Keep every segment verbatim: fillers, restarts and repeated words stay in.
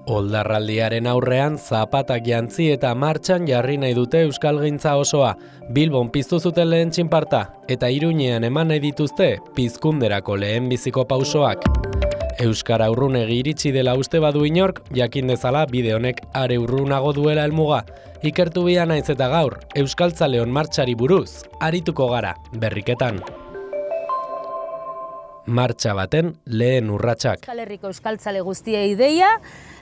Oldarraldiaren aurrean zapatak jantzi eta martxan jarri nahi dute euskalgintza osoa. Bilbon piztu zuten lehen txinparta eta Iruñean eman nahi dituzte pizkunderako lehenbiziko pausoak. Euskara urrunegi iritsi dela uste badu inork, jakin dezala bide honek are urrunago duela helmuga. Ikertu bia naiz eta gaur, Euskaltzaleon martxari buruz, arituko gara, berriketan. Martxa baten lehen urratsak. Euskal Herriko euskaltzale guztiei deia,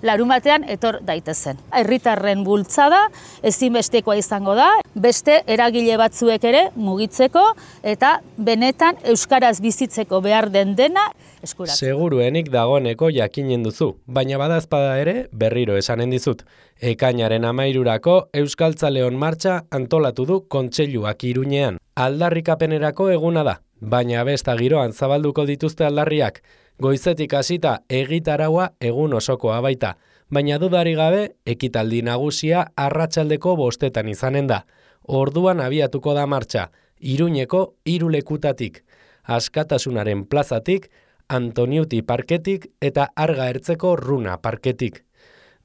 larumatean etor daitezen. Herritarren bultzada ezinbestekoa izango da, beste eragile batzuek ere mugitzeko eta benetan euskaraz bizitzeko behar den dena eskuratzeko. Seguruenik dagoeneko jakinen duzu, baina badazpada ere berriro esanen dizut. Ekainaren amairurako Euskaltzaleon martxa antolatu du Kontseiluak Iruñean. Aldarrikapenerako eguna da. Baina besta giroan zabalduko dituzte aldarriak, goizetik hasita egitaraua egun osokoa baita, baina dudari gabe ekitaldi nagusia arratsaldeko bostetan izanen da. Orduan abiatuko da martxa, Iruñeko hiru lekutatik, Askatasunaren plazatik, Antoniuti parketik eta Arga Ertzeko Runa parketik.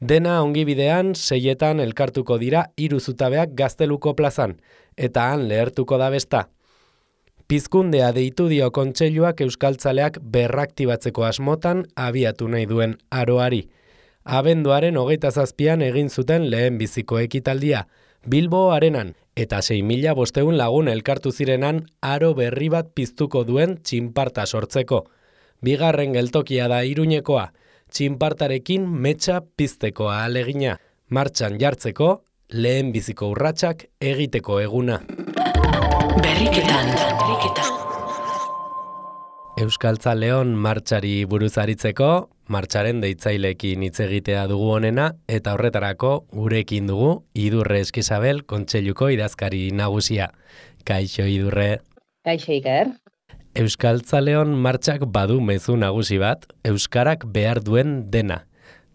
Dena ongibidean seietan elkartuko dira hiru zutabeak Gazteluko plazan, eta han lehertuko da besta. Pizkundea deitu dio Kontseiluak euskaltzaleak berraktibatzeko asmotan abiatu nahi duen aroari. Abenduaren hogeita zazpian egin zuten lehenbiziko ekitaldia, Bilbo Arenan, eta sei mila bostehun lagun elkartu zirenan aro berri bat piztuko duen txinparta sortzeko. Bigarren geltokia da Iruñekoa, txinpartarekin metxa pizteko ahalegina, martxan jartzeko lehenbiziko urratsak egiteko eguna. Berriketan, berriketan. Euskaltzaleon martxari buruz aritzeko, martxaren deitzaileekin hitz egitea dugu honena, eta horretarako gurekin dugu Idurre Eskizabel Kontseiluko idazkari nagusia. Kaixo Idurre. Kaixo Iker. Euskaltzaleon martxak badu mezu nagusi bat, euskarak behar duen dena.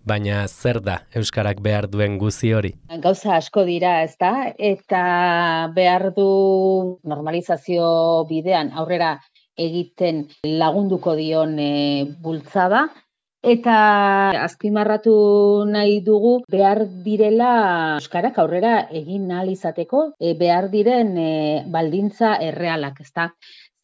Baina zer da euskarak behar duen guzi hori? Gauza asko dira, ezta? Eta behar du normalizazio bidean aurrera egiten lagunduko dion e, bultzada. Eta azpimarratu nahi dugu behar direla euskarak aurrera egin ahal izateko e, behar diren e, baldintza errealak, ezta?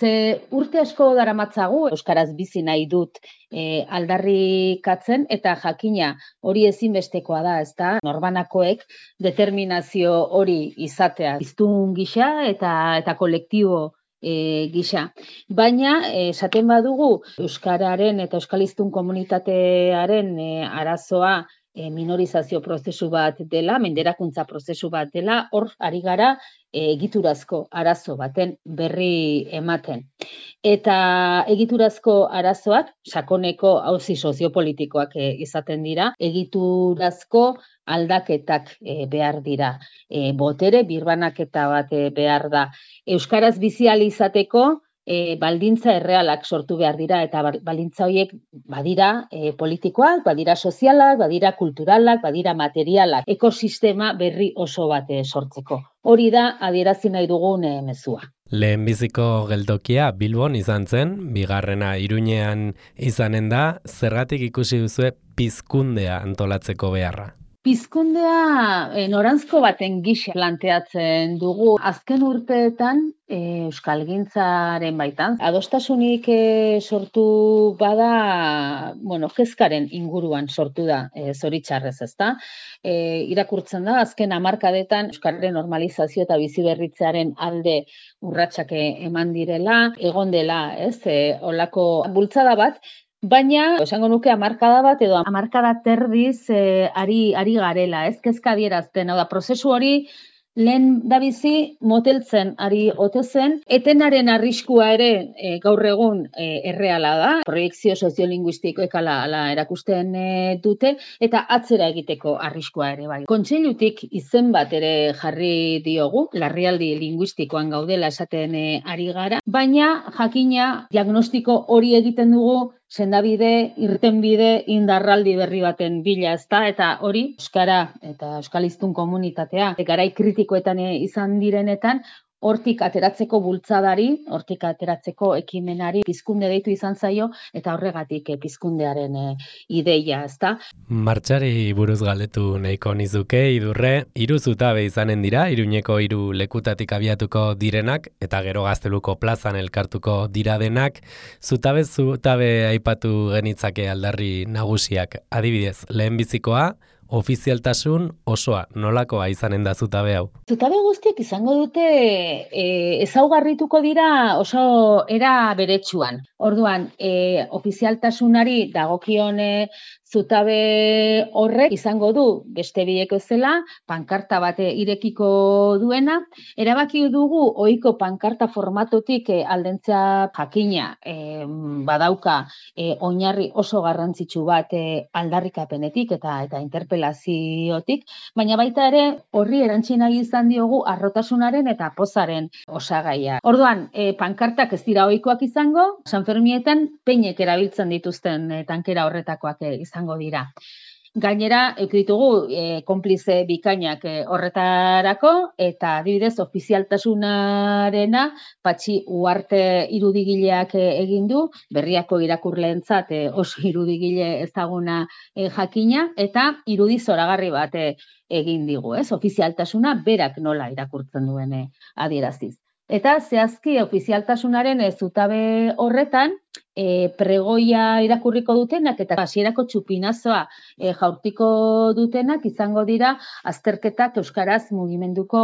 Ze urte asko daramatzagu euskaraz bizi nahi dut e, aldarrikatzen eta jakina hori ezinbestekoa da, ezta? Norbanakoek determinazio hori izatea hiztun gisa eta eta kolektibo e, gisa. Baina esaten badugu euskararen eta euskaliztun komunitatearen e, arazoa e, minorizazio prozesu bat dela, menderakuntza prozesu bat dela, hor ari gara egiturazko arazo baten berri ematen. Eta egiturazko arazoak sakoneko auzi soziopolitikoak e, izaten dira, egiturazko aldaketak e, behar dira. E, botere birbanaketa bat e, behar da. Euskaraz bizi ahal izateko E, baldintza errealak sortu behar dira eta baldintza horiek badira e, politikoak, badira sozialak, badira kulturalak, badira materialak, ekosistema berri oso bat e, sortzeko. Hori da adierazi nahi dugun e, mezua. Lehenbiziko geltokia Bilbon izan zen, bigarrena Iruñean izanen da, zergatik ikusi duzue pizkundea antolatzeko beharra? Pizkundea e, noranzko baten gisa planteatzen dugu. Azken urteetan e, euskalgintzaren baitan adostasunik e, sortu bada, bueno, kezkaren inguruan sortu da e, zoritxarrez, ezta? E, irakurtzen da azken hamarkadetan euskararen normalizazio eta biziberritzearen alde urratsak eman direla, egon dela, ez? E, olako bultzada bat. Baina, esango nuke hamarkada bat edo hamarkada terdiz e, ari, ari garela, ez kezka adierazten, hau da, prozesu hori lehen dabizi moteltzen ari ote zen, etenaren arriskua ere e, gaur egun e, erreala da, proiekzio soziolinguistikoek ala, ala erakusten e, dute, eta atzera egiteko arriskua ere bai. Kontseilutik izen bat ere jarri diogu, larrialdi linguistikoan gaudela esaten e, ari gara, baina jakina diagnostiko hori egiten dugu sendabide, irtenbide, indarraldi berri baten bila, ezta, eta hori euskara eta euskaliztun komunitatea garai kritikoetan izan direnetan hortik ateratzeko bultzadari, hortik ateratzeko ekimenari pizkunde deitu izan zaio, eta horregatik pizkundearen e, ideia, ezta? Martxari buruz galdetu nahiko nizuke, idurre, hiru zutabe izanen dira, Iruñeko hiru lekutatik abiatuko direnak, eta gero Gazteluko plazan elkartuko dira denak, zutabe zutabe aipatu genitzake aldarri nagusiak, adibidez, lehenbizikoa, ofizialtasun osoa, nolakoa izanen da zutabe hau? Zutabe guztiek izango dute e, ezaugarrituko dira oso era beretsuan. Orduan, e, ofizialtasunari dagokion e, zutabe horrek izango du beste biek bezala pankarta bat irekiko duena. Erabaki dugu ohiko pankarta formatotik e, aldentzea jakina e, badauka e, oinarri oso garrantzitsu bat e, aldarrikapenetik eta eta interpelaziotik, baina baita ere horri erantsi nahi izan diogu harrotasunaren eta pozaren osagaia. Orduan, e, pankartak ez dira ohikoak izango, San Fermietan peinek erabiltzen dituzten e, tankera horretakoak e, izango dira. Gainera, eukitugu e, konplize bikainak e, horretarako, eta adibidez ofizialtasunarena Patxi Uarte irudigileak e, egin du, berriako irakurleentzat e, oso irudigile ezaguna e, jakina, eta irudi zoragarri bat e, egin digu, ez? Ofizialtasuna berak nola irakurtzen duen e, adieraziz. Eta zehazki ofizialtasunaren e, zutabe horretan, E, pregoia irakurriko dutenak eta hasierako txupinazoa e, jaurtiko dutenak izango dira azterketak euskaraz mugimenduko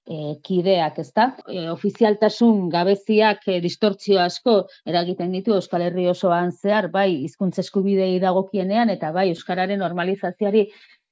e, kideak, ezta? E, ofizialtasun gabeziak e, distortzio asko eragiten ditu Euskal Herri osoan zehar, bai hizkuntza eskubidei dagokienean eta bai euskararen normalizazioari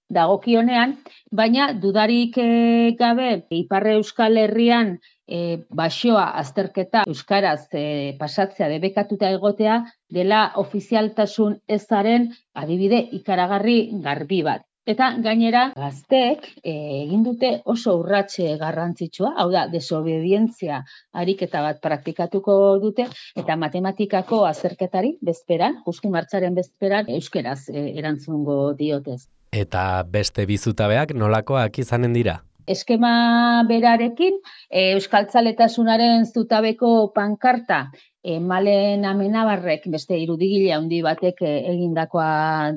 dagokionean, baina dudarik e, gabe Ipar Euskal Herrian E, basoa azterketa euskaraz e, pasatzea debekatuta egotea dela ofizialtasun ezaren adibide ikaragarri garbi bat. Eta gainera gazteek e, egin dute oso urratxe garrantzitsua, hau da, desobedientzia ariketa bat praktikatuko dute, eta matematikako azterketari bezperan, justu martxaren bezperan, euskeraz e, erantzungo diotez. Eta beste bizutabeak nolakoak izanen dira? Eskema berarekin, e, euskaltzaletasunaren zutabeko pankarta e, Malen Amenabarrek beste irudigile handi batek e, egindakoa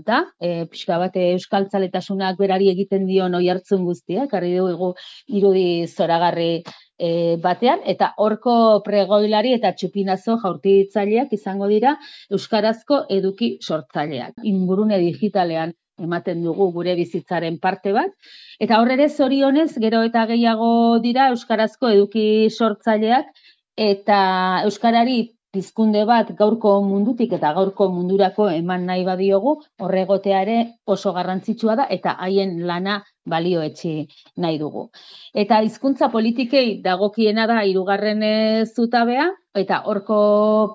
da. E, pixka bat euskaltzaletasunak berari egiten dion oihartzun guztiak, jarri dugu irudi zoragarri e, batean, eta horko pregoilari eta txupinazo jaurtitzaileak izango dira euskarazko eduki sortzaileak. Ingurune digitalean ematen dugu gure bizitzaren parte bat, eta horre zorionez gero eta gehiago dira euskarazko eduki sortzaileak eta euskarari pizkunde bat gaurko mundutik eta gaurko mundurako eman nahi badiogu, horregotea ere oso garrantzitsua da eta haien lana balioetsi nahi dugu. Eta hizkuntza politikei dagokiena da hirugarren zutabea, eta horko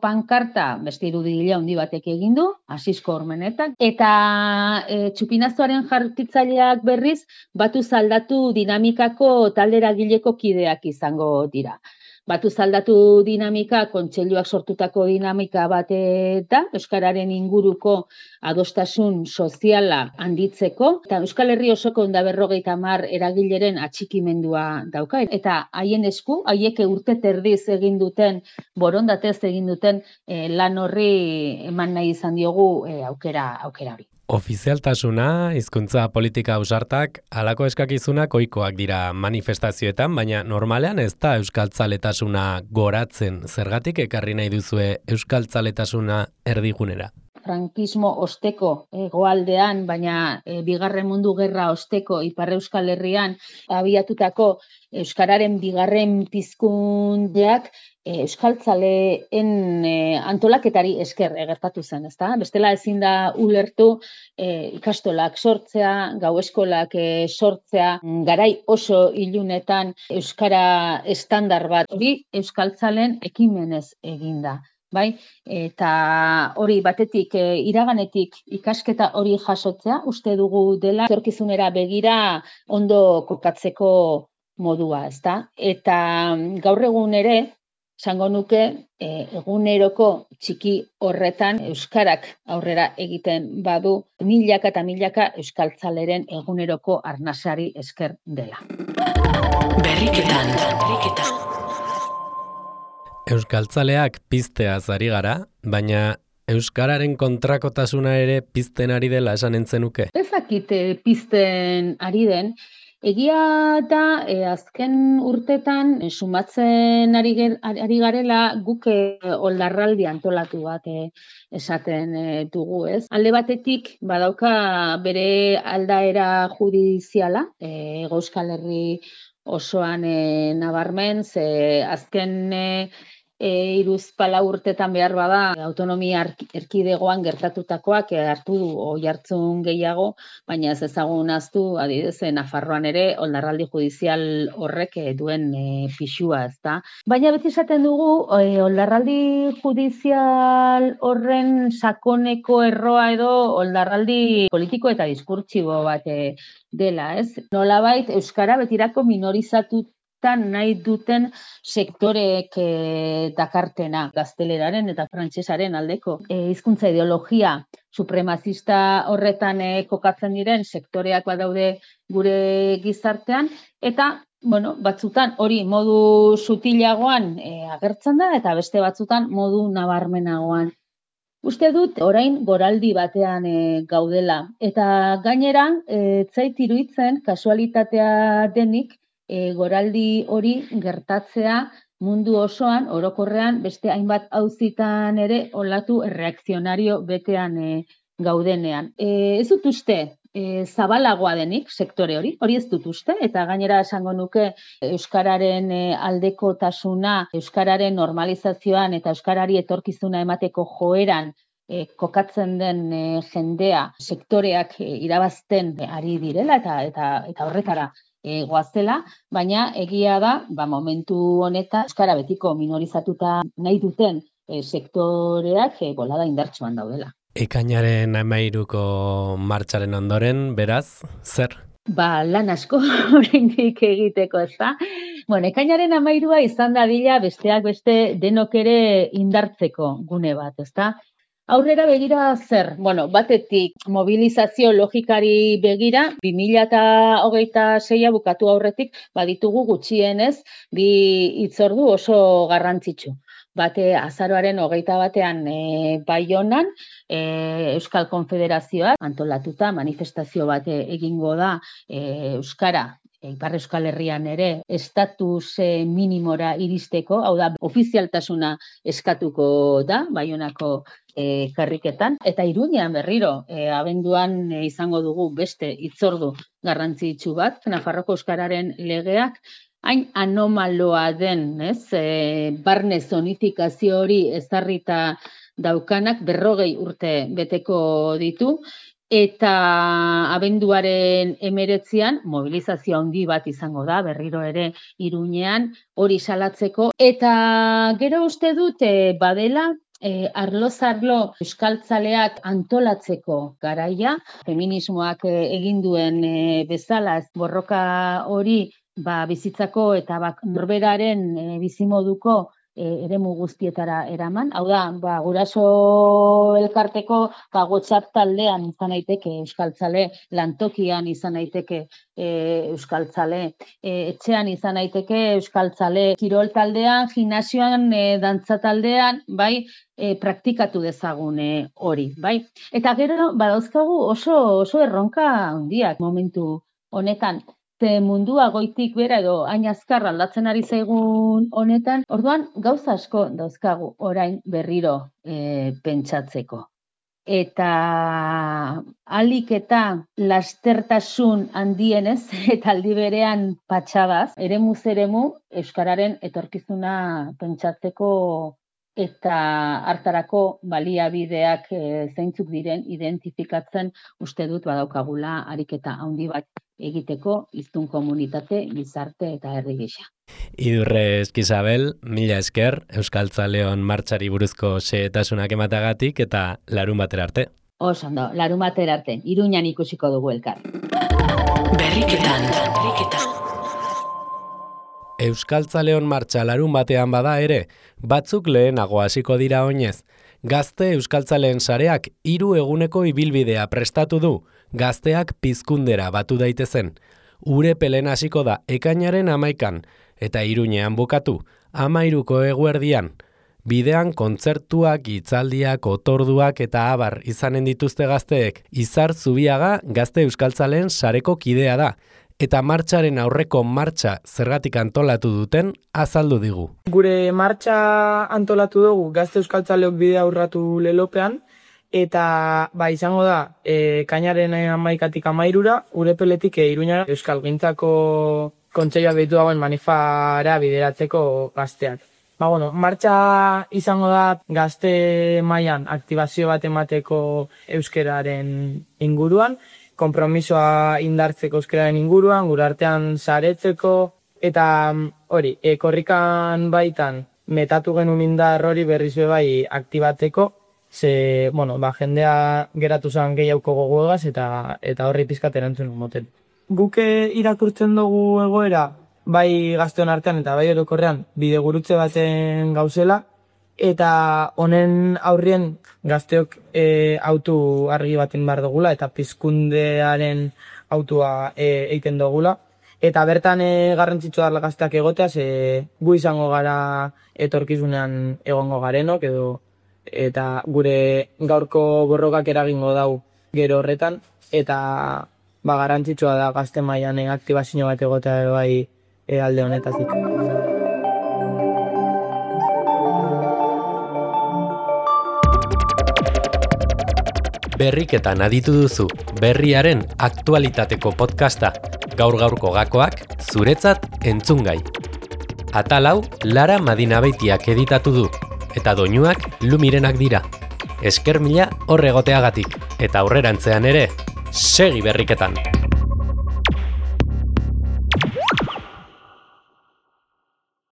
pankarta beste irudigile handi batek egin du, Asisko Ormenetak, eta e, txupinazoaren jartitzaileak berriz batu zaldatu dinamikako talderagileko kideak izango dira. Batu zaldatu dinamika, kontseiluak sortutako dinamika bat da, euskararen inguruko adostasun soziala handitzeko, eta Euskal Herri osoko ehun eta berrogeita hamar eragileren atxikimendua dauka, eta haien esku, haiek urte terdiz egin duten, borondatez egin duten eh, lan horri eman nahi izan diogu eh, aukera aukera hori. Ofizialtasuna, hizkuntza politika ausartak, halako eskakizunak ohikoak dira manifestazioetan, baina normalean ez da euskaltzaletasuna goratzen. Zergatik ekarri nahi duzue euskaltzaletasuna erdigunera? Frankismo osteko hegoaldean, baina e, bigarren mundu gerra osteko Ipar Euskal Herrian abiatutako euskararen bigarren pizkundeak e, euskaltzaleen e, antolaketari esker gertatu zen, ezta? Bestela ezin da ulertu e, ikastolak sortzea, gau eskolak e, sortzea, garai oso ilunetan euskara estandar bat hori euskaltzalen ekimenez eginda. Bai, eta hori batetik e, iraganetik ikasketa hori jasotzea, uste dugu dela etorkizunera begira ondo kokatzeko modua, ezta? Eta gaur egun ere, esango nuke, e, eguneroko txiki horretan euskarak aurrera egiten badu milaka eta milaka euskaltzaleren eguneroko arnasari esker dela. Berriketan, berriketan. Euskaltzaleak pizteaz ari gara, baina euskararen kontrakotasuna ere pizten ari dela esan entzenuke. Ezakit pizten ari den, egia da e, azken urtetan e, sumatzen ari, ger, ari garela guk e, oldarraldi antolatu bat e, esaten e, dugu, ez? Alde batetik badauka bere aldaera judiziala, e, Euskal Herri osoan e, nabarmen, ze azken e, E, iruzpala urtetan behar bada autonomia erkidegoan gertatutakoak hartu du oi hartzun gehiago, baina ez ezagun aztu, adibidez, Nafarroan ere oldarraldi judizial horrek duen e, pixua, ezta. Baina beti esaten dugu e, oldarraldi judizial horren sakoneko erroa edo oldarraldi politiko eta diskurtsibo bat e, dela, ez? Nolabait euskara betirako minorizatu nahi duten sektorek e, dakartena, gazteleraren eta frantsesaren aldeko. E, hizkuntza ideologia supremazista horretan e, kokatzen diren sektoreak badaude gure gizartean, eta bueno, batzutan hori modu sutilagoan e, agertzen da, eta beste batzutan modu nabarmenagoan. Uste dut, orain goraldi batean e, gaudela, eta gainera, e, zait iruditzen kasualitatea denik, E, goraldi hori gertatzea mundu osoan, orokorrean, beste hainbat auzitan ere olatu erreakzionario betean e, gaudenean. E, ez dut uste, e, zabalagoa denik sektore hori, hori ez dut uste, eta gainera esango nuke euskararen e, aldekotasuna, euskararen normalizazioan eta euskarari etorkizuna emateko joeran e, kokatzen den e, jendea, sektoreak e, irabazten ari direla eta eta, eta horretara E, goazela, baina egia da, ba, momentu honetan euskara betiko minorizatuta nahi duten e, sektoreak e, bolada indartsuan daudela. Ekainaren hamairuko martxaren ondoren, beraz, zer? Ba, lan asko oraindik egiteko, ezta? Bueno, ekainaren hamairua izan dadila besteak beste denok ere indartzeko gune bat, ezta? Aurrera begira zer? Bueno, batetik mobilizazio logikari begira, bi mila hogeita seia bukatu aurretik baditugu gutxienez bi hitzordu oso garrantzitsu. Bate azaroaren hogeita batean e, Baionan, e, Euskal Konfederazioak antolatuta manifestazio bat egingo da e, euskara. Ipar Euskal Herrian ere estatus e, minimora iristeko, hau da, ofizialtasuna eskatuko da, Baionako e, karriketan. Eta Iruñean berriro, e, abenduan e, izango dugu beste hitzordu garrantzitsu bat, Nafarroko euskararen legeak, hain anomaloa den, ez, e, barne zonifikazio hori ezarrita daukanak berrogei urte beteko ditu, eta abenduaren hemeretzian mobilizazio handi bat izango da, berriro ere Iruñean hori salatzeko. Eta gero uste dute badela, e, arlo-zarlo euskaltzaleak antolatzeko garaia, feminismoak e, egin duen e, bezala borroka hori ba, bizitzako eta ba, norberaren e, bizimoduko eremu guztietara eraman. Hau da, ba, guraso elkarteko ba, WhatsApp taldean izan daiteke euskaltzale, lantokian izan daiteke e, euskaltzale, e, etxean izan daiteke euskaltzale, kirol taldean, gimnasioan, e, dantza taldean, bai, e, praktikatu dezagun e, hori, bai. Eta gero, badauzkagu oso, oso erronka handiak momentu honetan. Ze mundua goitik bera edo hain azkar aldatzen ari zaigun honetan, orduan gauza asko dauzkagu orain berriro e, pentsatzeko. Eta alik eta lastertasun handienez eta aldi berean patxadaz, eremuz eremu euskararen etorkizuna pentsatzeko eta hartarako baliabideak e, zeintzuk diren identifikatzen uste dut badaukagula ariketa handi bat egiteko hiztun komunitate, gizarte eta herri gisa. Idurre Eskizabel, mila esker, Euskaltzaleon martxari buruzko xehetasunak ematagatik eta larun batera arte. Oso ondo, larun batera arte, Iruñan ikusiko dugu elkar. Berriketan, berriketan. Euskaltzaleon martxa larun batean bada ere, batzuk lehenago hasiko dira oinez. Gazte Euskaltzaleen sareak hiru eguneko ibilbidea prestatu du, gazteak pizkundera batu daitezen. Urepelen hasiko da ekainaren hamaikan, eta Iruñean bukatu, Amairuko eguerdian. Bidean kontzertuak, hitzaldiak, otorduak eta abar izanen dituzte gazteek. Izar Zubiaga Gazte Euskaltzaleen sareko kidea da, eta martxaren aurreko martxa zergatik antolatu duten azaldu digu. Gure martxa antolatu dugu Gazte Euskaltzaleok bidea urratu lelopean, eta ba, izango da, e, kainaren hamaikatik hamairura, Urepeletik e, Iruñara Euskalgintzako Kontseilua behitu dagoen manifara bideratzeko gazteak. Ba, bueno, martxa izango da gazte mailan aktibazio bat emateko euskeraren inguruan, konpromisoa indartzeko euskeraren inguruan, gure artean saretzeko, eta hori, e, korrikan baitan metatu genuen indar hori berriz bai aktibatzeko, ze, bueno, ba, jendea geratu zen gehiauko gogoegaz eta eta horri pizkat erantzun moten. Guke irakurtzen dugu egoera, bai gazteon artean eta bai orokorrean bidegurutze baten gauzela, eta honen aurrien gazteok e, autu argi baten behar dugula, eta pizkundearen autua e, egiten dugula. Eta bertan e, garrantzitsua da gazteak egotea, ze gu izango gara etorkizunean egongo garenok, edo eta gure gaurko borrokak eragingo dau gero horretan, eta ba, garrantzitsua da gazte mailan aktibazio bat egotea bai e, alde honetatik. Berriketan aditu duzu, berriaren aktualitateko podcasta, gaur-gaurko gakoak zuretzat entzungai. Atal hau Lara Madinabeitiak editatu du, eta doinuak Lumirenak dira. Esker mila hor egoteagatik, eta aurrerantzean ere, segi berriketan!